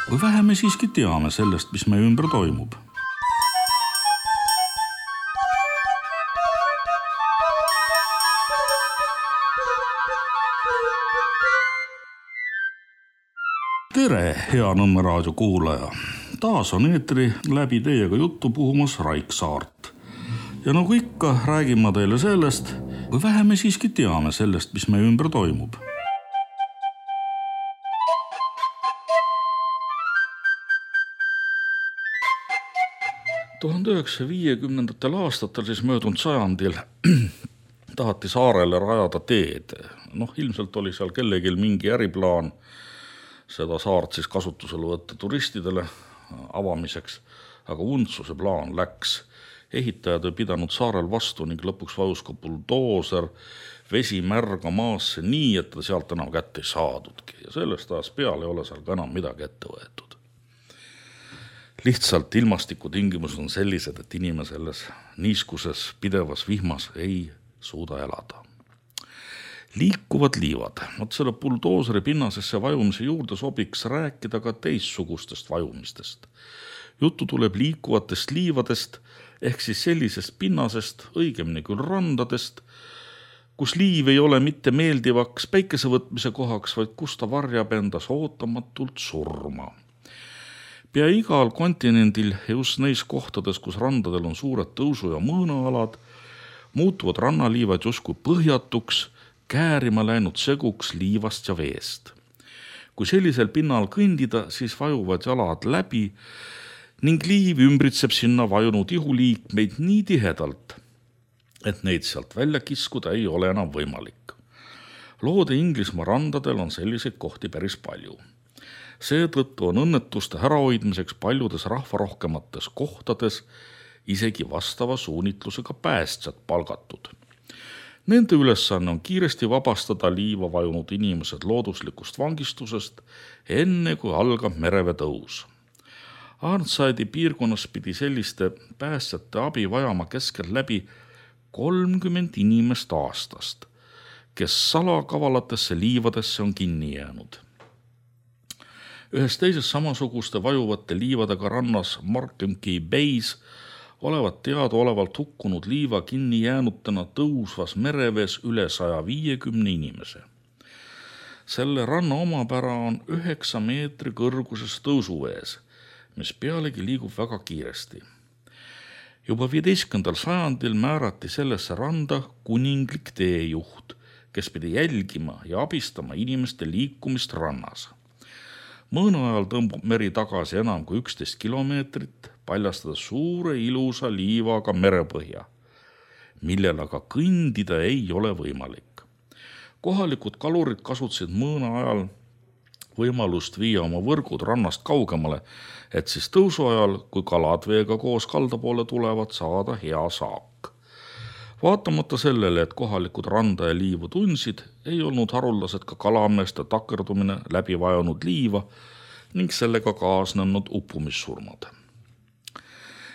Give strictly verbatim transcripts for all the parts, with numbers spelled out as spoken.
Või vähe me siiski teame sellest, mis meie ümber toimub. Tere, hea Nõmme raadio kuulaja! Taas on eetri läbi teiega juttu puhumas Raik Saart. Ja nagu ikka, räägin ma teile sellest, või vähe me siiski teame sellest, mis meie ümber toimub. tuhande üheksasaja viiekümnendatel aastatel, siis möödunud sajandil, tahati saarele rajada teed. Noh, ilmselt oli seal kellegil mingi äriplaan seda saart siis kasutusele võtta turistidele avamiseks, aga untsuse plaan läks. Ehitajad ei pidanud saarel vastu ning lõpuks vajus ka buldooser vesi märga maasse nii, et ta sealt enam kätte ei saadudki. Ja sellest ajast peale ei ole seal ka enam midagi ette võetud. Lihtsalt ilmastikutingimused on sellised, et inimene selles niiskuses pidevas vihmas ei suuda elada. Liikuvad liivad. Võt selle buldooseri pinnasesse vajumise juurde sobiks rääkida ka teissugustest vajumistest. Juttu tuleb liikuvatest liivadest ehk siis sellisest pinnasest, õigemini küll randadest, kus liiv ei ole mitte meeldivaks päikesevõtmise kohaks, vaid kus ta varjab endas ootamatult surma. Pea igal kontinendil ja just neis kohtades, kus randadel on suured tõusu- ja mõõnaalad, muutuvad rannaliivad justkui põhjatuks, käärima läinud seguks liivast ja veest. Kui sellisel pinnal kõndida, siis vajuvad jalad läbi ning liiv ümbritseb sinna vajunud ihuliikmeid nii tihedalt, et neid sealt välja kiskuda ei ole enam võimalik. Loode Inglismaa randadel on selliseid kohti päris palju. Seetõttu on õnnetuste ärahoidmiseks paljudes rahvarohkemates kohtades isegi vastava suunitlusega päästjad palgatud. Nende ülesanne on kiiresti vabastada liiva vajunud inimesed looduslikust vangistusest, enne kui algab merevee tõus. Arnside'i piirkonnas pidi selliste päästjate abi vajama keskel läbi kolmkümmend inimest aastast, kes salakavalatesse liivadesse on kinni jäänud. Ühes teises samasuguste vajuvate liivadega rannas Markham Key Bays olevat teadaolevalt hukkunud liiva kinni jäänutena tõusvas merevees üle saja viiekümne inimese. Selle ranna omapära on üheksa meetri kõrguses tõusuvees, mis pealegi liigub väga kiiresti. Juba viieteistkümnendal sajandil määrati sellesse randa kuninglik teejuht, kes pidi jälgima ja abistama inimeste liikumist rannas. Mõõna ajal tõmbub meri tagasi enam kui üksteist kilomeetrit, paljastades suure ilusa liivaga merepõhja, millel aga kõndida ei ole võimalik. Kohalikud kalurid kasutasid mõõna ajal võimalust viia oma võrgud rannast kaugemale, et siis tõusu ajal, kui kalad veega koos kalda poole tulevad, saada hea saak. Vaatamata sellele, et kohalikud randa ja liivu tundsid, ei olnud haruldased ka kalameeste takerdumine läbi vajunud liiva ning sellega kaasnenud uppumissurmad.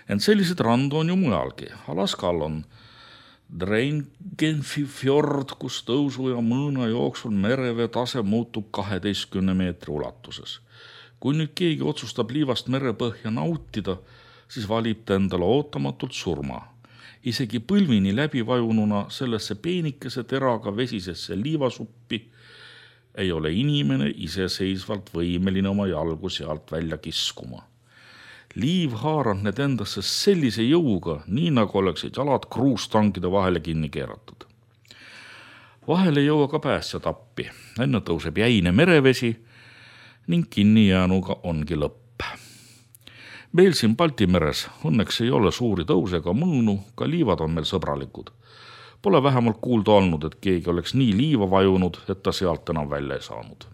Ent sellised randu on ju mujalgi. Alaskal on Drangenfjord, kus tõusu ja mõõna jooksul merevee tase muutub kaheteistkümne meetri ulatuses. Kui nüüd keegi otsustab liivast merepõhja nautida, siis valib ta endale ootamatult surma. Isegi põlvini läbi vajununa sellesse peenikese teraga vesisesse liivasuppi ei ole inimene iseseisvalt võimeline oma jalgu sealt välja kiskuma. Liiv haarab need endasse sellise jõuga, nii nagu oleksid jalad kruustangide vahele kinni keeratud. Vahele ei jõua ka päästjad appi. Enne tõuseb jäine merevesi ning kinni jäänuga ongi lõpp. Meil siin Baltimeres õnneks ei ole suuri tõuse ega mõõnu, ka liivad on meil sõbralikud. Pole vähemalt kuulda olnud, et keegi oleks nii liiva vajunud, et ta sealt enam välja ei saanud.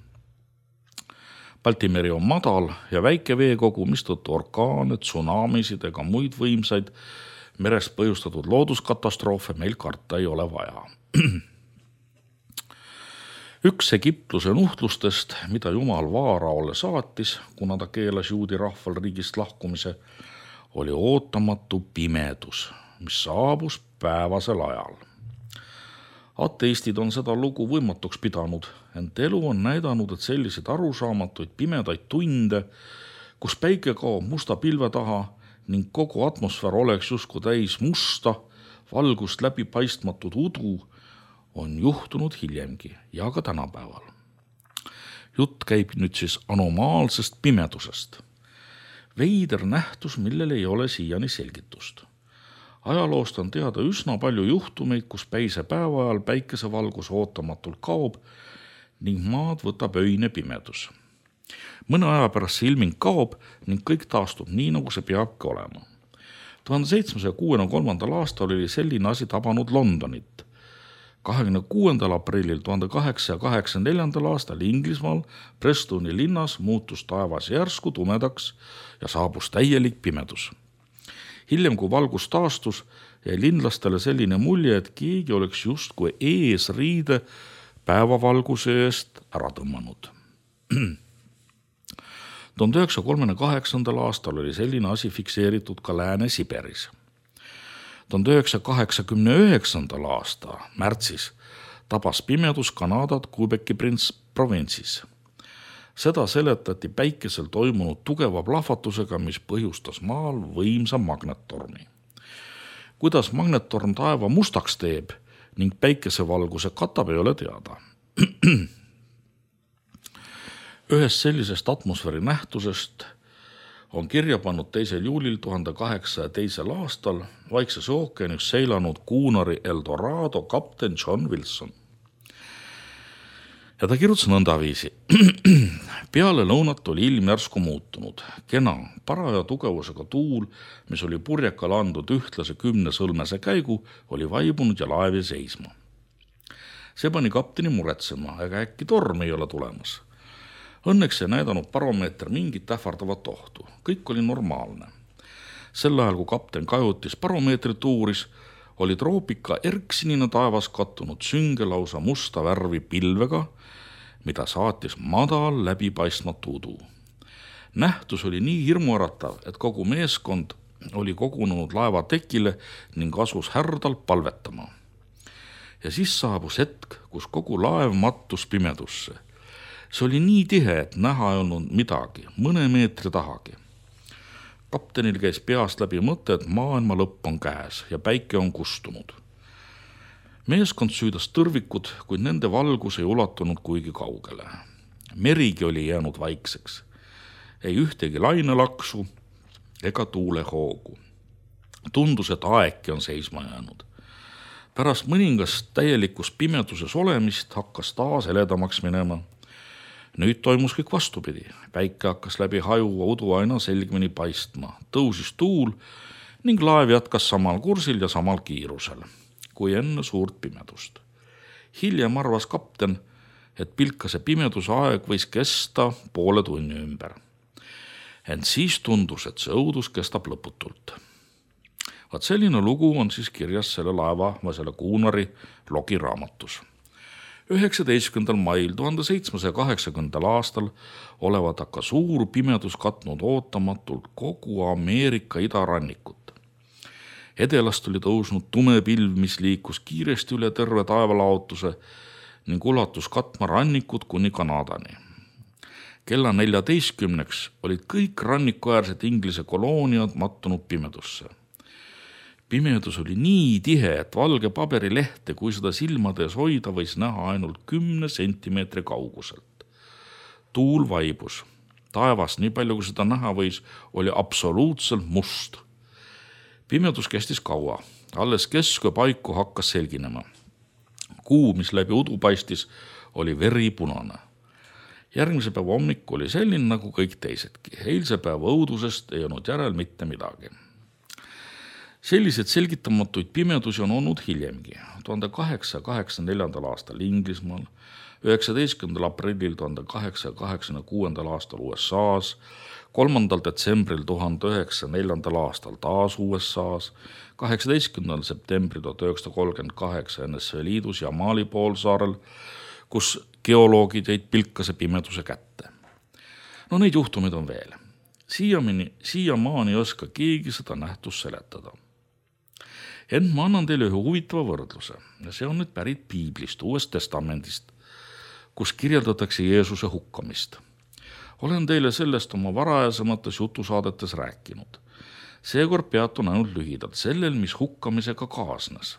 Baltimeri on madal ja väike veekogu, mistõttu orkaane, tsunamisid ega muid võimsaid merest põhjustatud looduskatastroofe meil karta ei ole vaja. Üks Egiptuse nuhtlustest, mida Jumal Vaaraole saatis, kuna ta keelas juudi rahval riigist lahkumise, oli ootamatu pimedus, mis saabus päevasel ajal. Ateistid on seda lugu võimatuks pidanud, ent elu on näidanud, et selliseid arusaamatuid pimedaid tunde, kus päike kaob musta pilve taha ning kogu atmosfäär oleks justkui täis musta, valgust läbipaistmatud udu, on juhtunud hiljemgi ja ka tänapäeval. Jutt käib nüüd siis anomaalsest pimedusest. Veider nähtus, millel ei ole siiani selgitust. Ajaloost on teada üsna palju juhtumeid, kus päise päeva ajal päikesevalgus ootamatult kaob ning maad võtab öine pimedus. Mõne aja pärast see ilming kaob ning kõik taastub nii, nagu see peabki olema. tuhande seitsmesaja kuuekümne kolmandal aastal oli selline asi tabanud Londonit. kahekümne kuuendal aprillil tuhande kaheksasaja kaheksakümne neljandal aastal Inglismaal Prestoni linnas muutus taevas järsku tumedaks ja saabus täielik pimedus. Hiljem, kui valgus taastus, jäi linlastele selline mulje, et keegi oleks justkui eesriide päevavalguse eest ära tõmmanud. tuhande üheksasaja kolmekümne kaheksandal aastal oli selline asi fikseeritud ka Lääne-Siberis. tuhande üheksasaja kaheksakümne üheksandal aasta märtsis tabas pimedus Kanadat Quebeci provintsis. Seda seletati päikesel toimunud tugeva plahvatusega, mis põhjustas maal võimsa magnettormi. Kuidas magnettorm taeva mustaks teeb ning päikesevalguse katab, ei ole teada. Ühest sellisest atmosfääri nähtusest on kirja pannud teisel juulil tuhande kaheksasaja teisel aastal Vaikses ookeanis seilanud kuunari Eldorado kapten John Wilson. Ja ta kirjutas nõndaviisi. Peale lõunat oli ilm järsku muutunud. Kena, paraja tugevusega tuul, mis oli purjekal andnud ühtlase kümne sõlmese käigu, oli vaibunud ja laev jäi seisma. See pani kapteni muretsema, ega äkki torm ei ole tulemas. Õnneks ei näidanud baromeeter mingit ähvardavat ohtu. Kõik oli normaalne. Sel ajal, kui kapten kajutis baromeetrit uuris, oli troopika erksinina taevas kattunud sünge lausa musta värvi pilvega, mida saatis madal läbipaistmatu udu. Nähtus oli nii hirmuäratav, et kogu meeskond oli kogunenud laeva tekile ning asus härdalt palvetama. Ja siis saabus hetk, kus kogu laev mattus pimedusse. See oli nii tihe, et näha ei olnud midagi, mõne meetri tahagi. Kaptenil käis peast läbi mõte, et maailma lõpp on käes ja päike on kustunud. Meeskond süüdas tõrvikud, kuid nende valgus ei ulatunud kuigi kaugele. Merigi oli jäänud vaikseks. Ei ühtegi lainelaksu ega tuulehoogu. Tundus, et aegki on seisma jäänud. Pärast mõningast täielikus pimeduses olemist hakkas taas heledamaks minema. Nüüd toimus kõik vastupidi. Päike hakkas läbi hajuva udu aina selgemini paistma. Tõusis tuul ning laev jatkas samal kursil ja samal kiirusel kui enne suurt pimedust. Hiljem arvas kapten, et pilkase pimeduse aeg võis kesta poole tunni ümber. Ent siis tundus, et see õudus kestab lõputult. Vaat selline lugu on siis kirjas selle laeva või selle kuunari logiraamatus. üheksateistkümnendal mail tuhande seitsmesaja kaheksakümnendal aastal olevat aga suur pimedus katnud ootamatult kogu Ameerika idarannikut. Edelast oli tõusnud tume pilv, mis liikus kiiresti üle terve taevalaotuse ning ulatus katma rannikud kuni Kanadani. Kella neljateistkümneks olid kõik rannikuäärsed Inglise kolooniad mattunud pimedusse. Pimedus oli nii tihe, et valge paberilehte, kui seda silmades hoida, võis näha ainult kümne sentimeetri kauguselt. Tuul vaibus. Taevas, nii palju kui seda näha võis, oli absoluutselt must. Pimedus kestis kaua. Alles kesku paiku hakkas selginema. Kuu, mis läbi udu paistis, oli veripunane. Järgmise päeva hommik oli selline nagu kõik teisedki. Eilse päeva õudusest ei olnud järel mitte midagi. Sellised selgitamatuid pimedusi on olnud hiljemgi. tuhande kaheksasaja kaheksakümne neljandal aastal Inglismaal, üheksateistkümnendal aprillil tuhande kaheksasaja kaheksakümne kuuendal aastal U S A-s, kolmandal detsembril tuhande üheksasaja neljandal aastal taas U S A-s, kaheksateistkümnendal septembril tuhat üheksasada kolmkümmend kaheksa N S V Liidus ja Mali poolsaarel, kus geoloogid jäid pilkase pimeduse kätte. No neid juhtumeid on veel. Siiamaani, siiamaani ei oska keegi seda nähtust seletada. Ent ma annan teile ühe huvitava võrdluse ja see on nüüd pärit Piiblist, Uuest Testamendist, kus kirjeldatakse Jeesuse hukkamist. Olen teile sellest oma varajasemates jutusaadetes rääkinud. Seekord peatun ainult lühidalt sellel, mis hukkamisega kaasnes.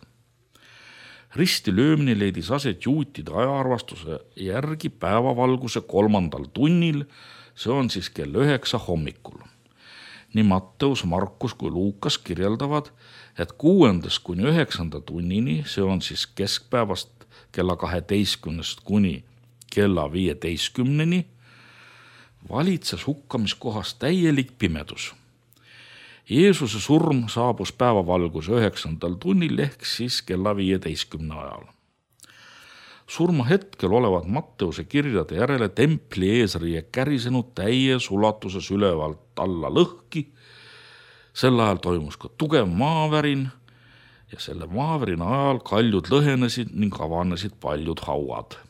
Risti löömine leidis aset juutide ajaarvastuse järgi päevavalguse kolmandal tunnil, see on siis kell üheksa hommikul. Nii Matteus, Markus kui Luukas kirjeldavad, et kuuendast kuni üheksanda tunnini, see on siis keskpäevast kella kaheteistkümnest kuni kella viieteistkümneni, valitses hukkamiskohas täielik pimedus. Jeesuse surm saabus päevavalguse üheksandal tunnil ehk siis kella viieteistkümne ajal. Surma hetkel olevat Matteuse kirjade järele templi eesriie kärisenud täies ulatuses ülevalt alla lõhki. Sel ajal toimus ka tugev maavärin ja selle maavärina ajal kaljud lõhenesid ning avanesid paljud hauad.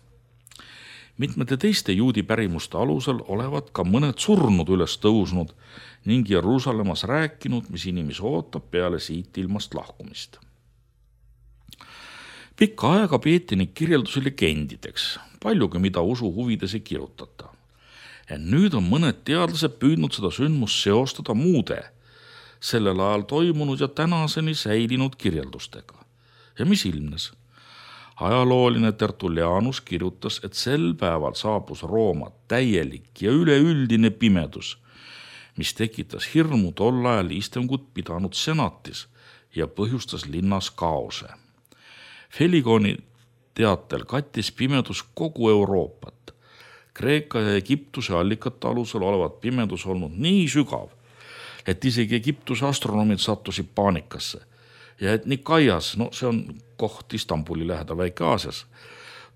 Mitmete teiste juudi pärimuste alusel olevat ka mõned surnud üles tõusnud ning Jeruusalemmas rääkinud, mis inimesi ootab peale siit ilmast lahkumist. Pikka aega peeti neid kirjeldusi legendideks, paljugi mida usu huvides ei kirjutata. Ja nüüd on mõned teadlased püüdnud seda sündmust seostada muude, sellel ajal toimunud ja tänaseni säilinud kirjeldustega. Ja mis ilmnes? Ajalooline Tertullianus kirjutas, et sel päeval saabus Rooma täielik ja üleüldine pimedus, mis tekitas hirmu tol ajal istungut pidanud senatis ja põhjustas linnas kaose. Feligoni teatel kattis pimedus kogu Euroopat. Kreeka ja Egiptuse allikate alusel olevat pimedus olnud nii sügav, et isegi Egiptuse astronomid sattusid paanikasse. Ja et Nikaias, no see on koht Istanbuli lähedal Väike-Aasias,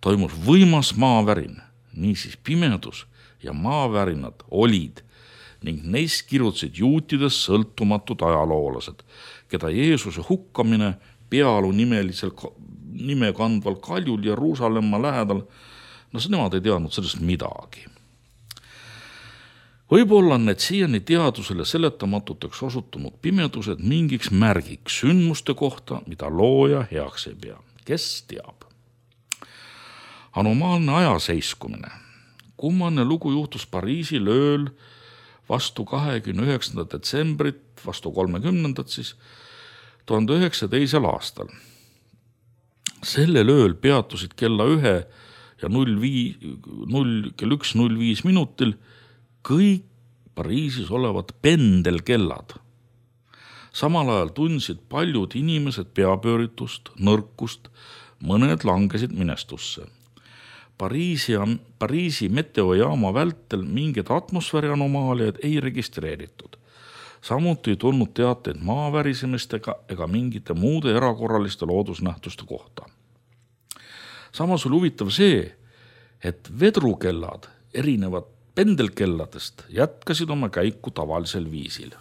toimus võimas maavärin. Niisiis pimedus ja maavärinad olid ning neist kirjutasid juutides sõltumatud ajaloolased, keda Jeesuse hukkamine Pealu nimelisel nime kandval kaljul Jeruusalemma lähedal, no see nemad ei teadnud sellest midagi. Võib-olla on need siiani teadusele seletamatuteks osutunud pimedused mingiks märgiks sündmuste kohta, mida looja heaks ei pea. Kes teab? Anomaalne ajaseiskumine. Kummaline lugu juhtus Pariisil ööl vastu kahekümne üheksandat detsembrit, vastu kolmekümnendat siis, tuhande üheksasaja teisel aastal. Sellel ööl peatusid kella ühe ja null viis, null, kell üks null viis minutil kõik Pariisis olevad pendelkellad. Samal ajal tundsid paljud inimesed peapööritust, nõrkust, mõned langesid minestusse. Pariisi, Pariisi meteojaama vältel mingeid atmosfääri anomaaliaid ei registreeritud. Samuti ei tulnud teateid maavärisemistega ega mingite muude erakorraliste loodusnähtuste kohta. Samas oli huvitav see, et vedrukellad erinevad pendelkelladest jätkasid oma käiku tavalisel viisil.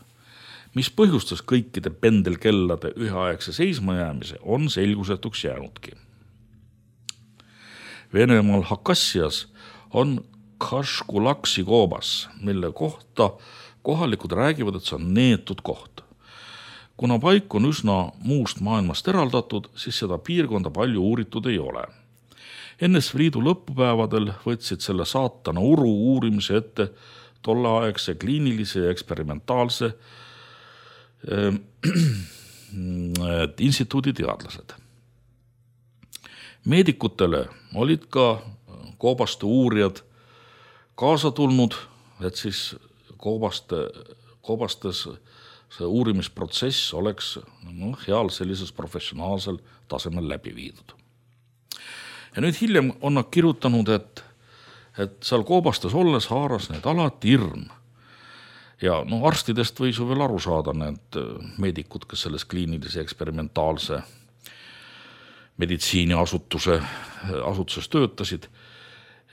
Mis põhjustas kõikide pendelkellade üheaegse seismajäämise, on selgusetuks jäänudki. Venemaal Hakassias on Kaškulaksi koobas, mille kohta kohalikud räägivad, et see on neetud koht. Kuna paik on üsna muust maailmast eraldatud, siis seda piirkonda palju uuritud ei ole. N S V Liidu lõpupäevadel võtsid selle saatana uru uurimise ette tolleaegse kliinilise ja eksperimentaalse äh, instituudi teadlased. Meedikutele olid ka koobaste uurijad kaasa tulnud, et siis koobaste, koobastes see uurimisprotsess oleks no, heal sellises professionaalsel tasemel läbi viidud. Ja nüüd hiljem on nad kirjutanud, et, et seal koobastes olles haaras need alati hirm. Ja no arstidest võis ju veel aru saada need meedikud, kes selles kliinilise eksperimentaalse meditsiiniasutuse asutuses töötasid.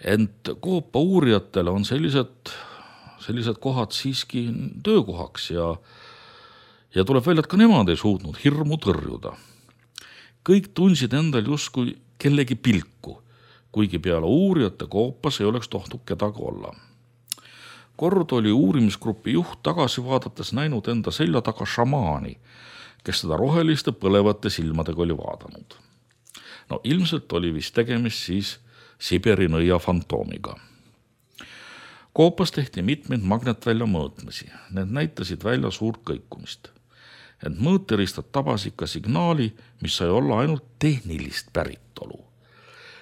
Ent koopa uurijatele on sellised, sellised kohad siiski töökohaks ja, ja tuleb välja, et ka nemad ei suutnud hirmu tõrjuda. Kõik tundsid endal justkui kellegi pilku, kuigi peale uurijate koopas ei oleks tohtud kedagi olla. Kord oli uurimisgrupi juht tagasi vaadates näinud enda selja taga šamaani, kes teda roheliste põlevate silmadega oli vaadanud. No ilmselt oli vist tegemist siis Siberi nõia fantoomiga. Koopas tehti mitmeid magnetvälja mõõtmisi. Need näitasid välja suurt kõikumist. Ent mõõteristad tabas ikka signaali, mis sai olla ainult tehnilist päritolu.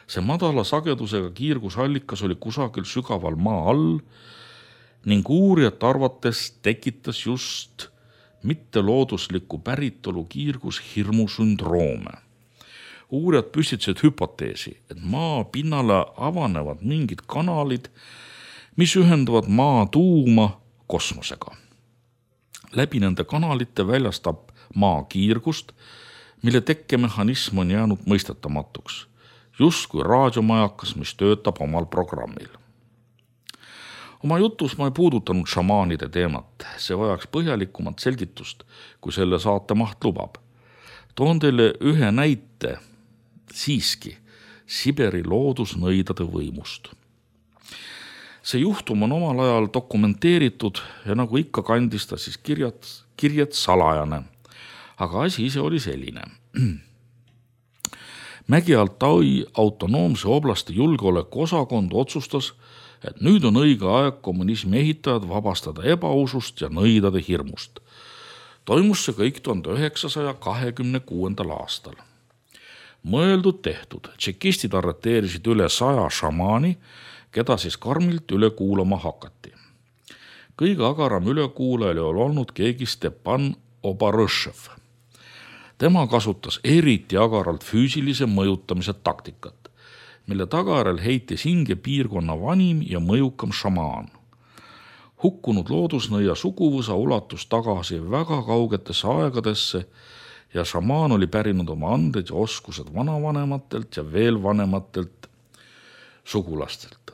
See madala sagedusega kiirgusallikas oli kusagil sügaval maa all ning uurijat arvates tekitas just mitteloodusliku päritolu kiirgus hirmusündroome. Uurijad püstitasid hüpoteesi, et maa pinnale avanevad mingid kanalid, mis ühendavad maa tuuma kosmosega. Läbi nende kanalite väljastab maa kiirgust, mille tekkemehhanism on jäänud mõistetamatuks, just kui raadiomajakas, mis töötab omal programmil. Oma jutus ma ei puudutanud šamaanide teemat, see vajaks põhjalikumat selgitust, kui selle saate maht lubab. Toon teile ühe näite siiski Siberi loodusnõidade võimust. See juhtum on omal ajal dokumenteeritud ja nagu ikka kandis ta siis kirjad, kirjad salajane, aga asi ise oli selline. Mägi-Altai autonoomse oblasti julgeoleku osakond otsustas, et nüüd on õige aeg kommunismi ehitajad vabastada ebausust ja nõidade hirmust. Toimus see kõik tuhande üheksasaja kahekümne kuuendal aastal. Mõeldud tehtud, tšekistid arreteerisid üle saja šamaani, keda siis karmilt üle kuulama hakati. Kõige agaram ülekuulaja oli olnud keegi Stepan Obarõšev. Tema kasutas eriti agaralt füüsilise mõjutamise taktikat, mille tagajärjel heitis hinge piirkonna vanim ja mõjukam šamaan. Hukkunud loodusnõia suguvõsa ulatus tagasi väga kaugetesse aegadesse ja šamaan oli pärinud oma anded ja oskused vanavanematelt ja veel vanematelt sugulastelt.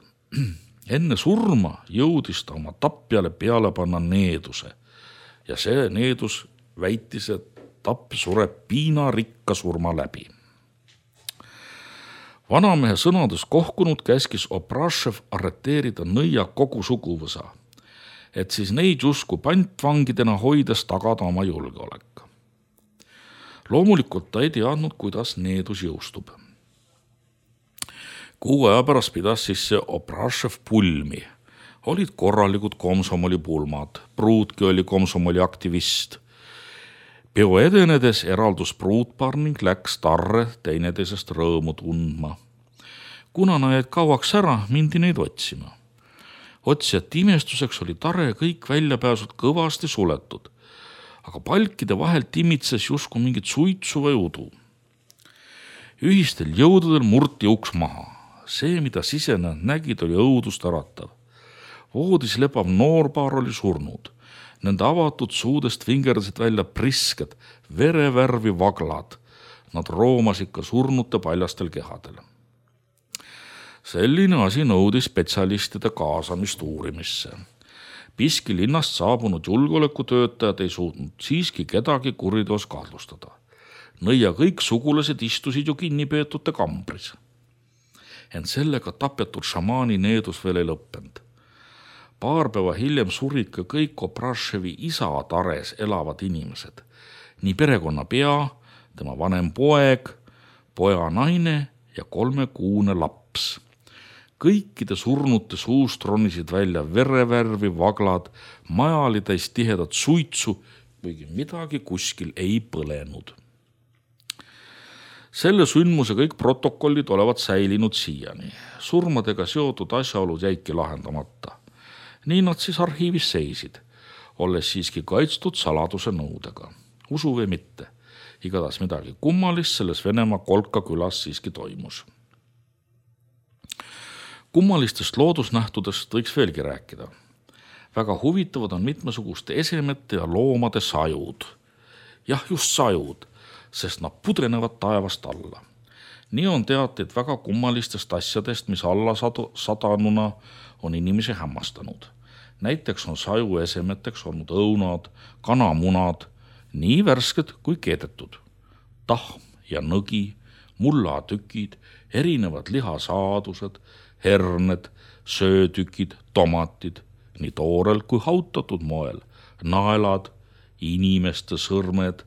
Enne surma jõudis ta oma tapjale peale panna needuse ja see needus väitis, et tapp sureb piinarikka surma läbi. Vanamehe sõnades kohkunud käskis Obrašev arreteerida nõia kogu suguvõsa, et siis neid justkui pantvangidena hoides tagada oma julgeolek. Loomulikult ta ei teadnud, kuidas needus jõustub. Kuu aja pärast pidas siis see Obrašev pulmi. Olid korralikud komsomoli pulmad, pruutki oli komsomoli aktivist. Peo edenedes eraldus pruutpaar ning läks tarre teineteisest rõõmu tundma. Kuna nad jäid kauaks ära, mindi neid otsima. Otsijate imestuseks oli tare kõik väljapääsud kõvasti suletud, aga palkide vahelt imitses justkui mingit suitsu või udu. Ühistel jõududel murti uks maha. See, mida sisenejad nägid, oli õudust äratav. Voodis lebav noorpaar oli surnud. Nende avatud suudest vingerdasid välja prisked, verevärvi vaglad. Nad roomasid ka surnute paljastel kehadel. Selline asi nõudis spetsialistide kaasamist uurimisse. Piski linnast saabunud julgeolekutöötajad ei suutnud siiski kedagi kuriteos kahtlustada. Nõia kõik sugulased istusid ju kinnipeetute kambris. Ent sellega tapetud šamaani needus veel ei lõppenud. Paar päeva hiljem surid ka kõik Obraševi isa tares elavad inimesed. Nii perekonna pea, tema vanem poeg, poja naine ja kolmekuune laps. Kõikide surnute suust ronisid välja verevärvi vaglad, maja oli täis tihedat suitsu, kuigi midagi kuskil ei põlenud. Selle sündmuse kõik protokollid olevat säilinud siiani. Surmadega seotud asjaolud jäidki lahendamata. Nii nad siis arhiivis seisid, olles siiski kaitstud saladuse nõudega. Usu või mitte, igatahes midagi kummalist selles Venemaa Kolka külas siiski toimus. Kummalistest loodusnähtudest võiks veelgi rääkida. Väga huvitavad on mitmesuguste esemete ja loomade sajud. Jah, just sajud, sest nad pudrenevad taevast alla. Nii on teateid väga kummalistest asjadest, mis alla sadanuna on inimesi hämmastanud. Näiteks on saju esemeteks olnud õunad, kanamunad, nii värsked kui keedetud. Tahm ja nõgi, mullatükid, erinevad lihasaadused, herned, söötükid, tomatid, nii toorel kui hautatud moel, naelad, inimeste sõrmed,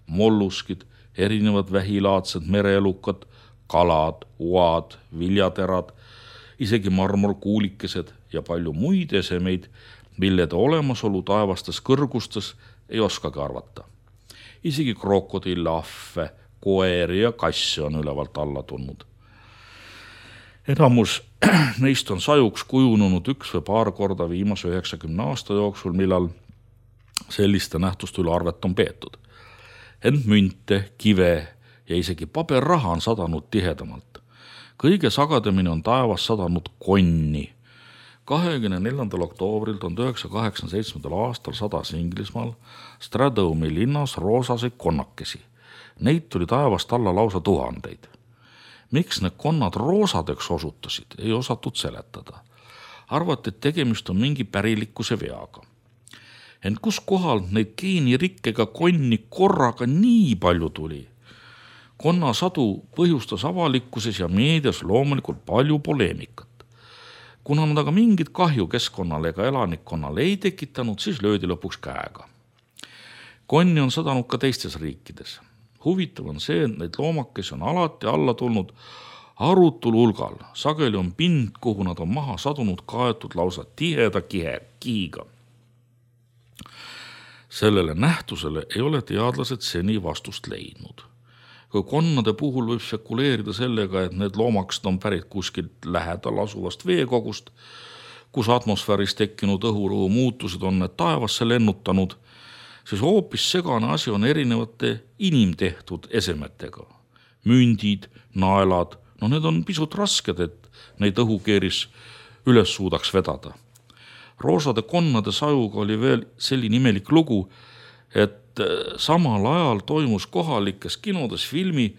molluskid, erinevad vähilaadsed mereelukad, kalad, uad, viljaterad, isegi marmorkuulikesed ja palju muid esemeid, millede olemasolu taevastes kõrgustes ei oskagi arvata. Isegi krokodille, ahve, koeri ja kasse on ülevalt alla tulnud. Enamus neist on sajuks kujunenud üks või paar korda viimase üheksakümne aasta jooksul, millal selliste nähtuste üle arvet on peetud. Ent münte, kive ja isegi paberraha on sadanud tihedamalt. Kõige sagadamini on taevas sadanud konni. kahekümne neljandal oktoobril tuhande üheksasaja kaheksakümne seitsmendal aastal sadas Inglismaal Stradomi linnas roosaseid konnakesi. Neid tuli taevast alla lausa tuhandeid. Miks need konnad roosadeks osutasid, ei osatud seletada. Arvati, et tegemist on mingi pärilikkuse veaga. Ent kus kohal neid geenirikkega konni korraga nii palju tuli? Konna sadu põhjustas avalikkuses ja meedias loomulikult palju poleemikat. Kuna nad aga mingit kahju keskkonnale ega elanikkonnale ei tekitanud, siis löödi lõpuks käega. Konni on sadanud ka teistes riikides. Huvitav on see, et neid loomakesi on alati alla tulnud arutul hulgal. Sageli on pind, kuhu nad on maha sadunud, kaetud lausa tiheda kihe, kihiga. Sellele nähtusele ei ole teadlased seni vastust leidnud. Kui konnade puhul võib spekuleerida sellega, et need loomakesed on pärit kuskilt lähedal asuvast veekogust, kus atmosfääris tekkinud õhurõhu muutused on need taevasse lennutanud, siis hoopis segane asi on erinevate inimtehtud esemetega. Mündid, naelad, no need on pisut rasked, et neid õhukeeris üles suudaks vedada. Roosade konnade sajuga oli veel selline imelik lugu, et samal ajal toimus kohalikes kinodes filmi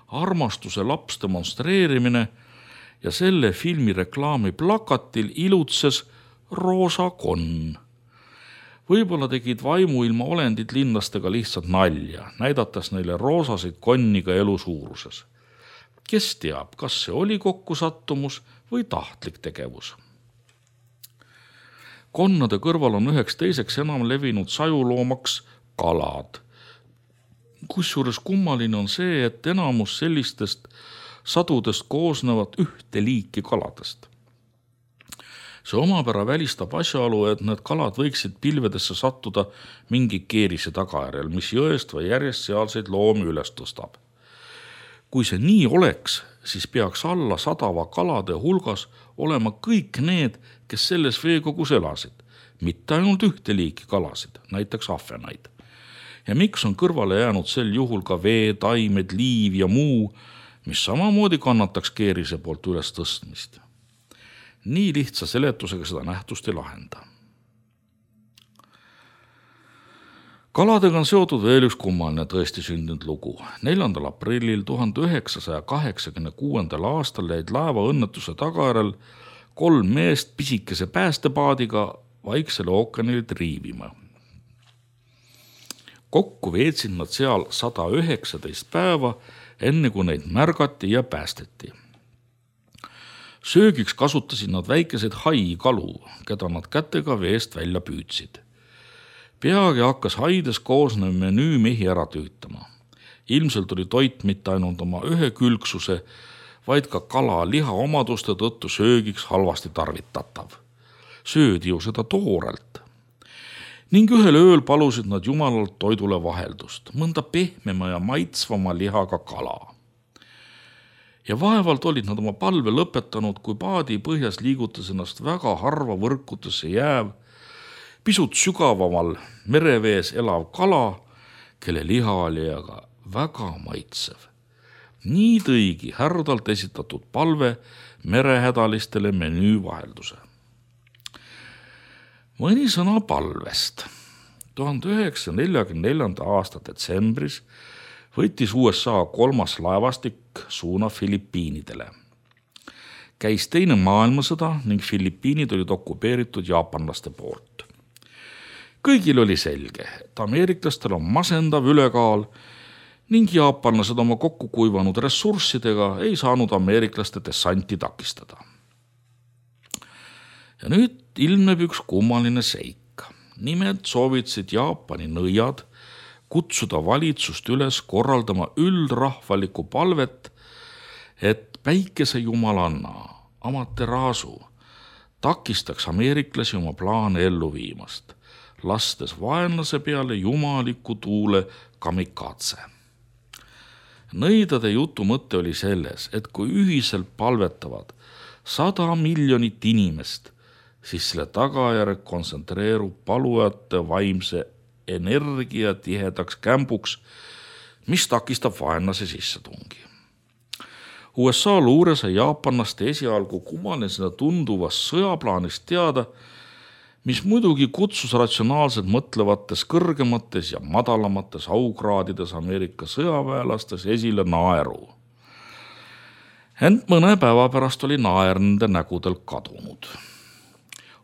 Armastuse laps demonstreerimine ja selle filmi reklaami plakatil ilutses roosa konn. Võib-olla tegid vaimuilma olendid linlastega lihtsalt nalja, näidates neile roosasid konniga elu suuruses. Kes teab, kas see oli kokkusattumus või tahtlik tegevus? Konnade kõrval on üheks teiseks enam levinud sajuloomaks kalad. Kusjuures kummaline on see, et enamus sellistest sadudest koosnevad ühte liiki kaladest. See omapära välistab asjaolu, et need kalad võiksid pilvedesse sattuda mingi keerise tagajärjel, mis jõest või järjest sealseid loomi üles tõstab. Kui see nii oleks, siis peaks alla sadava kalade hulgas olema kõik need, kes selles veekogus elasid, mitte ainult ühte liiki kalasid, näiteks ahvenaid. Ja miks on kõrvale jäänud sel juhul ka vee, taimed, liiv ja muu, mis samamoodi kannataks keerise poolt üles tõstmist? Nii lihtsa seletusega seda nähtust ei lahenda. Kaladega on seotud veel üks kummaline tõesti sündinud lugu. neljandal aprillil tuhande üheksasaja kaheksakümne kuuendal aastal jäid laeva õnnetuse tagajärjel kolm meest pisikese päästepaadiga Vaiksele ookeanile triivima. Kokku veetsid nad seal sada üheksateist päeva, enne kui neid märgati ja päästeti. Söögiks kasutasid nad väikeseid haikalu, keda nad kätega veest välja püüdsid. Peagi hakkas haides koosnev menüü mehi ära tüütama. Ilmselt oli toit mitte ainult oma ühe külgsuse, vaid ka kala liha omaduste tõttu söögiks halvasti tarvitatav. Söödi ju seda toorelt. Ning ühel ööl palusid nad jumalalt toidule vaheldust, mõnda pehmema ja maitsvama lihaga kala. Ja vaevalt olid nad oma palve lõpetanud, kui paadi põhjas liigutas ennast väga harva võrkutesse jääv, pisut sügavamal merevees elav kala, kelle liha oli aga väga maitsev. Nii tõigi härdalt esitatud palve merehädalistele menüü vahelduse. Mõni sõna palvest. tuhande üheksasaja neljakümne neljanda aasta detsembris võttis U S A kolmas laevastik suuna Filipiinidele. Käis teine maailmasõda ning Filipiinid olid okupeeritud jaapanlaste poolt. Kõigil oli selge, et ameeriklastel on masendav ülekaal ning jaapanlased oma kokku kuivanud ressurssidega ei saanud ameeriklaste dessanti takistada. Ja nüüd ilmneb üks kummaline seik. Nimelt soovitasid Jaapani nõiad kutsuda valitsust üles korraldama üldrahvalikku palvet, et päikese jumalanna Amaterasu takistaks ameeriklasi oma plaane ellu viimast, lastes vaenlase peale jumaliku tuule kamikaatse. Nõidade jutu mõte oli selles, et kui ühiselt palvetavad sada miljonit inimest, siis selle tagajärg kontsentreerub palujate vaimse energia tihedaks kämbuks, mis takistab vaenlase sissetungi. U S A luure sai jaapanlaste esialgu kummalisena tunduvast sõjaplaanist teada, mis muidugi kutsus ratsionaalselt mõtlevates kõrgemates ja madalamates aukraadides Ameerika sõjaväelastes esile naeru. Ent mõne päeva pärast oli naer nende nägudel kadunud.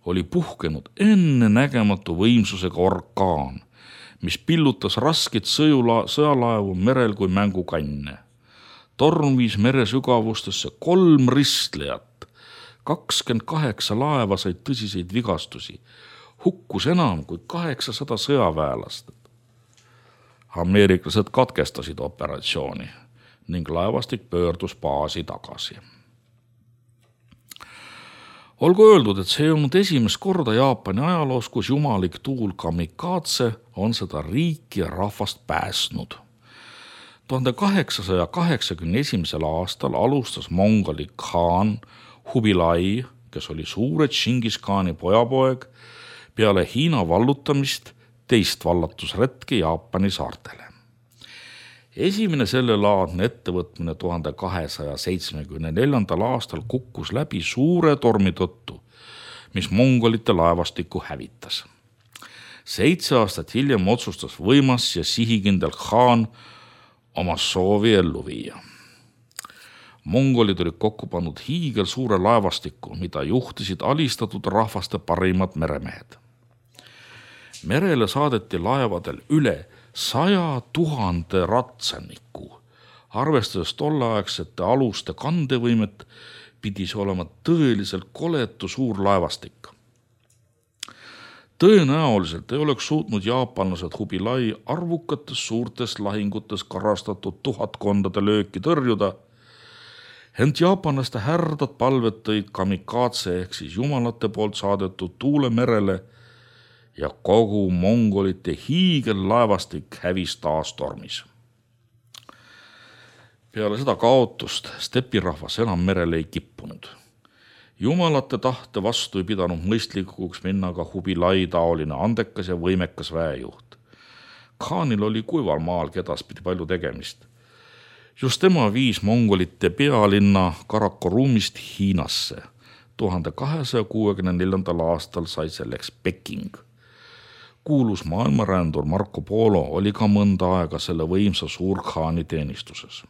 Oli puhkenud ennenägematu võimsusega orkaan, mis pillutas raskeid sõjula, sõjalaevu merel kui mängukanne. Torm viis mere sügavustesse kolm ristlejat, kakskümmend kaheksa laeva said tõsiseid vigastusi, hukkus enam kui kaheksasada sõjaväelast. Ameeriklased katkestasid operatsiooni ning laevastik pöördus baasi tagasi. Olgu öeldud, et see ei olnud esimest korda Jaapani ajaloos, kus jumalik tuul kamikaatse on seda riiki ja rahvast pääsnud. tuhande kaheksasaja kaheksakümne esimesel aastal alustas mongoli Khan Hubilai, kes oli suure Tšingis Khani pojapoeg, peale Hiina vallutamist teist vallatusretki Jaapani saartele. Esimene sellelaadne ettevõtmine tuhande kahesaja seitsmekümne neljandal aastal kukkus läbi suure tormi tõttu, mis mongolite laevastikku hävitas. Seitse aastat hiljem otsustas võimas ja sihikindel Khan oma soovi ellu viia. Mongolid olid kokku pannud hiigel suure laevastiku, mida juhtisid alistatud rahvaste parimad meremehed. Merele saadeti laevadel üle saja tuhande ratsaniku. Arvestades tolleaegsete aluste kandevõimet, pidi see olema tõeliselt koletu suur laevastik. Tõenäoliselt ei oleks suutnud jaapanlased Hubilai arvukates suurtes lahingutes karastatud tuhatkondade lööki tõrjuda, ent jaapanlaste härdad palved tõid kamikaatse ehk siis jumalate poolt saadetud tuule merele ja kogu mongolite hiigellaevastik hävis taas tormis. Peale seda kaotust stepirahvas enam merele ei kippunud. Jumalate tahte vastu ei pidanud mõistlikuks minna ka Hubilai taoline andekas ja võimekas väejuht. Khanil oli kuival maal edaspidi palju tegemist. Just tema viis mongolite pealinna Karakorumist Hiinasse. tuhande kahesaja kuuekümne neljandal aastal sai selleks Peking. Kuulus maailmarändur Marco Polo oli ka mõnda aega selle võimsa Suur-Khani teenistuses.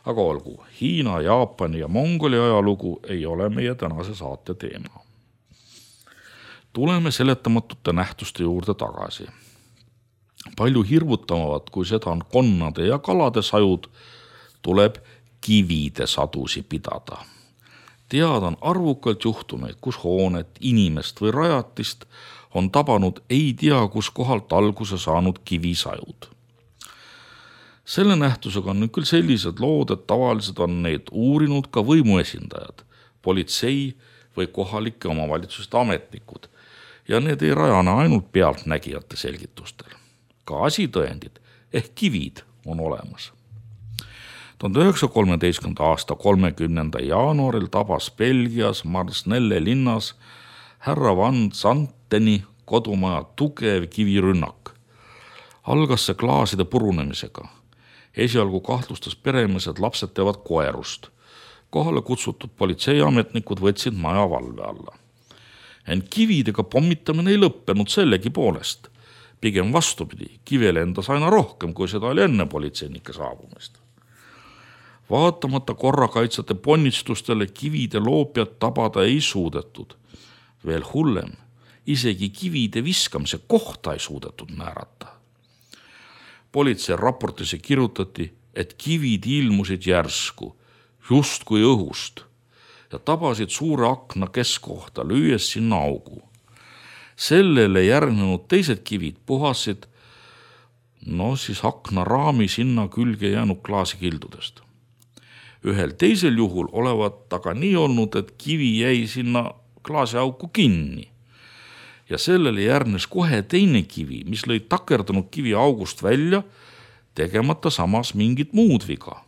Aga olgu, Hiina, Jaapani ja Mongoli ajalugu ei ole meie tänase saate teema. Tuleme seletamatute nähtuste juurde tagasi. Palju hirvutamavat, kui seda on konnade ja kalade sajud, tuleb kivide sadusi pidada. Teada on arvukalt juhtumeid, kus hoonet, inimest või rajatist on tabanud ei tea, kus kohalt alguse saanud kivisajud. Selle nähtusega on nüüd küll sellised lood, et tavaliselt on neid uurinud ka võimuesindajad, politsei või kohalike omavalitsuste ametnikud ja need ei rajane ainult pealtnägijate selgitustel. Ka asitõendid ehk kivid on olemas. tuhande üheksasaja kolmeteistkümnenda aasta kolmekümnenda jaanuaril tabas Belgias Marsnelle linnas härra Van Zanteni kodumaja tugev kivirünnak. Algas see klaaside purunemisega. Esialgu kahtlustas peremees, et lapsed teevad koerust. Kohale kutsutud politseiametnikud võtsid maja valve alla. Ent kividega pommitamine ei lõppenud sellegi poolest. Pigem vastupidi, kive lendas aina rohkem, kui seda oli enne politseinike saabumist. Vaatamata korrakaitsjate ponnistustele kivide loopjat tabada ei suudetud. Veel hullem, isegi kivide viskamise kohta ei suudetud määrata. Politsei raportisse kirjutati, et kivid ilmusid järsku, just kui õhust, ja tabasid suure akna keskkohta, lüües sinna augu. Sellele järgnenud teised kivid puhasid no siis aknaraami sinna külge jäänud klaasikildudest. Ühel teisel juhul olevat aga nii olnud, et kivi jäi sinna klaasiauku kinni. Ja sellele järgnes kohe teine kivi, mis lõi takerdunud kivi august välja, tegemata samas mingit muud viga.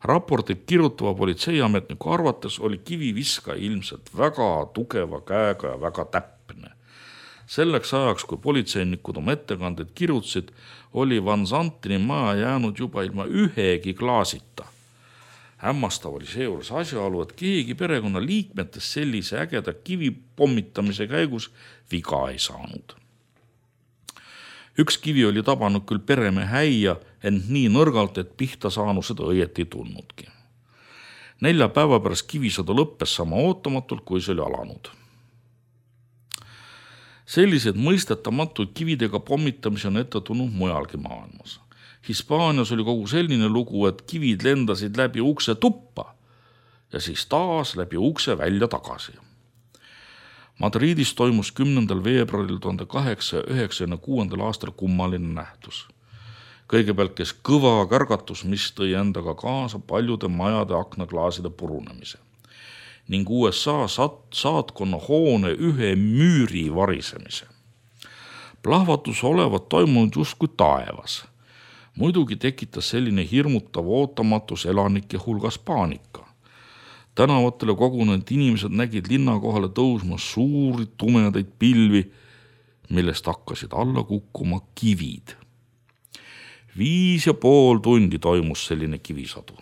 Raportit kirjutava politseiametniku arvates oli kiviviska ilmselt väga tugeva käega ja väga täpne. Selleks ajaks, kui politseinikud oma ettekanded kirjutasid, oli Van Santini maja jäänud juba ilma ühegi klaasita. Hämmastav oli seejuures asjaolu, et keegi perekonna liikmetest sellise ägeda kivi pommitamise käigus viga ei saanud. Üks kivi oli tabanud küll peremehe häia, ent nii nõrgalt, et pihta saanu seda õieti tunnudki. Nelja päeva pärast kivisõda lõppes sama ootamatult, kui see oli alanud. Sellised mõistetamatuid kividega pommitamisi on ette tulnud mujalgi maailmas. Hispaanias oli kogu selline lugu, et kivid lendasid läbi ukse tuppa ja siis taas läbi ukse välja tagasi. Madridis toimus kümnendal veebruaril tuhande kaheksasaja üheksakümne kuuendal aastal kummaline nähtus. Kõigepealt kes kõva kärgatus, mis tõi endaga kaasa paljude majade aknaklaaside purunemise ning U S A saatkonna hoone ühe müüri varisemise. Plahvatus olevat toimunud justkui taevas. Muidugi tekitas selline hirmutav ootamatus elanike hulgas paanika. Tänavatele kogunenud inimesed nägid linna kohale tõusma suuri tumedaid pilvi, millest hakkasid alla kukkuma kivid. Viis ja pool tundi toimus selline kivisadu.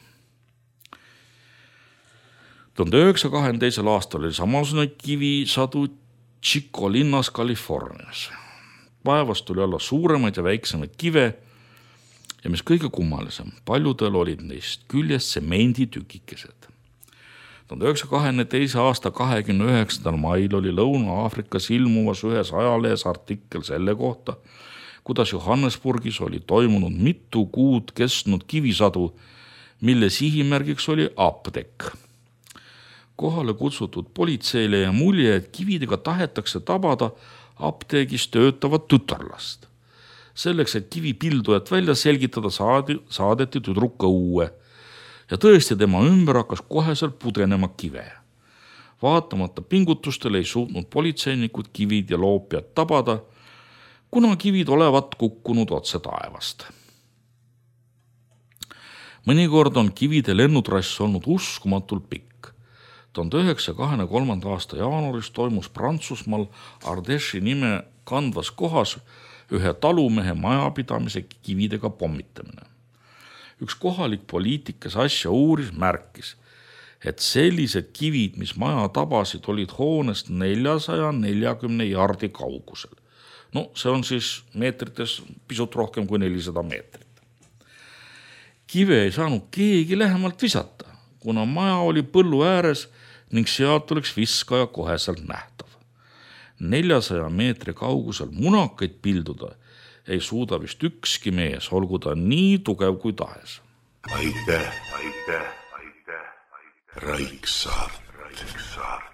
tuhande üheksasaja kahekümne teisel aastal oli samasugune kivisadu Chico linnas Californias. Päevast tuli alla suuremaid ja väiksemaid kive ja mis kõige kummalisem, paljudel olid neist küljest semenditükikesed. tuhande üheksasaja kahekümne teise aasta kahekümne üheksandal mail oli Lõuna-Aafrikas ilmuvas ühes ajalehes artikkel selle kohta, kuidas Johannesburgis oli toimunud mitu kuud kestnud kivisadu, mille sihimärgiks oli apteek. Kohale kutsutud politseile ja mulje, et kividega tahetakse tabada apteegis töötavat tütarlast. Selleks, et kivipildujat välja selgitada, saadi, saadeti tüdruka õue ja tõesti tema ümber hakkas koheselt pudenema kive. Vaatamata pingutustele ei suutnud politseinikud kivid ja loopjad tabada, kuna kivid olevat kukkunud otse taevast. Mõnikord on kivide lennutrass olnud uskumatult pikk. tuhande üheksasaja kahekümne kolmanda aasta jaanuaris toimus Prantsusmaal Ardèche'i nime kandvas kohas ühe talumehe majapidamise kividega pommitamine. Üks kohalik poliitik, kes asja uuris, märkis, et sellised kivid, mis maja tabasid, olid hoonest neljasaja neljakümne jardi kaugusel. No see on siis meetrites pisut rohkem kui nelisada meetrit. Kive ei saanud keegi lähemalt visata, kuna maja oli põllu ääres ning sealt oleks viskaja koheselt nähtav. neljasaja meetri kaugusel munakaid pilduda ei suuda vist ükski mees, olgu ta nii tugev kui tahes. Aitäh, aitäh, aitäh, aitäh. Raiksaart. Raiksaart.